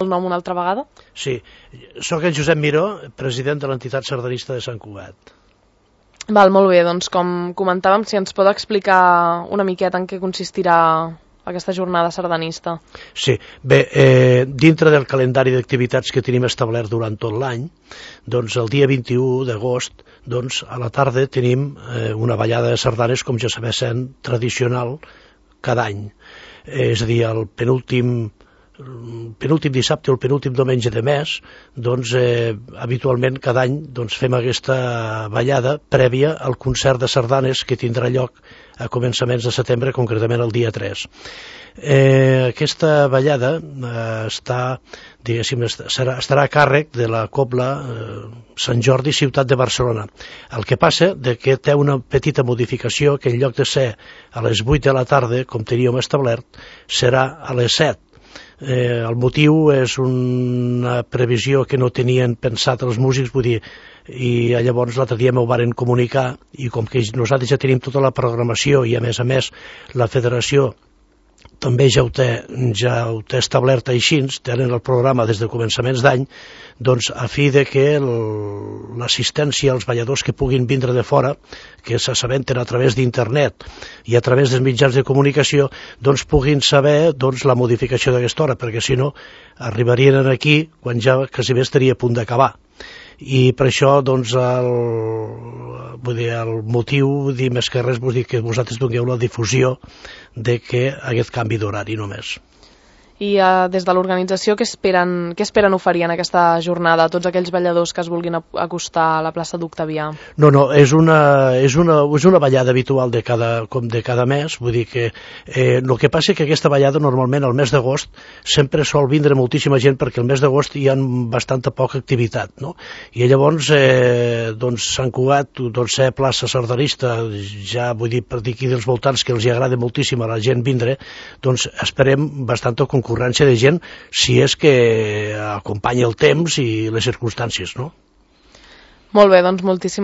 el nom una altra vegada? Sí, sóc el Josep Miró, president de l'entitat sardanista de Sant Cugat. Val, molt bé, doncs com comentàvem, si ens pot explicar una miqueta en què consistirà aquesta jornada sardanista. Sí, bé, dintre del calendari d'activitats que tenim establert durant tot l'any, doncs el dia 21 d'agost, doncs a la tarda tenim una ballada de sardanes, com ja sabeu sent tradicional cada any. És a dir, el penúltim dissabte o el penúltim diumenge de mes, doncs habitualment cada any doncs, fem aquesta ballada prèvia al concert de sardanes que tindrà lloc a començaments de setembre, concretament el dia 3. Aquesta ballada estarà a càrrec de la Cobla Sant Jordi, ciutat de Barcelona. El que passa que té una petita modificació, que en lloc de ser a les 8 de la tarda, com teníem establert, serà a les 7. El motiu és una previsió que no tenien pensat els músics, vull dir, i llavors l'altre dia m'ho varen comunicar, i com que nosaltres ja tenim tota la programació i a més la federació també ja ho té establert així, tenen el programa des de començaments d'any, doncs a fi de que l'assistència als balladors que puguin vindre de fora, que s'assabenten a través d'internet i a través dels mitjans de comunicació, doncs puguin saber la modificació d'aquesta hora, perquè si no arribarien aquí quan ja quasi bé estaria a punt d'acabar. I per això doncs el motiu, més que res, que vosaltres dongueu la difusió de que aquest canvi d'horari només. I des de l'organització què esperen oferir en aquesta jornada a tots aquells balladors que es vulguin acostar a la plaça d'Octavià? No, és una ballada habitual de cada mes, vull dir que el que passa és que aquesta ballada normalment al mes d'agost sempre sol vindre moltíssima gent, perquè el mes d'agost hi ha bastanta poca activitat, no? I llavors doncs Sant Cugat, doncs ser plaça sardanista, ja vull dir per dir aquí dels voltants que els agrada moltíssim a la gent vindre, doncs esperem bastanta concurrència de gent, si és que acompanya el temps i les circumstàncies, no? Molt bé, doncs moltíssimes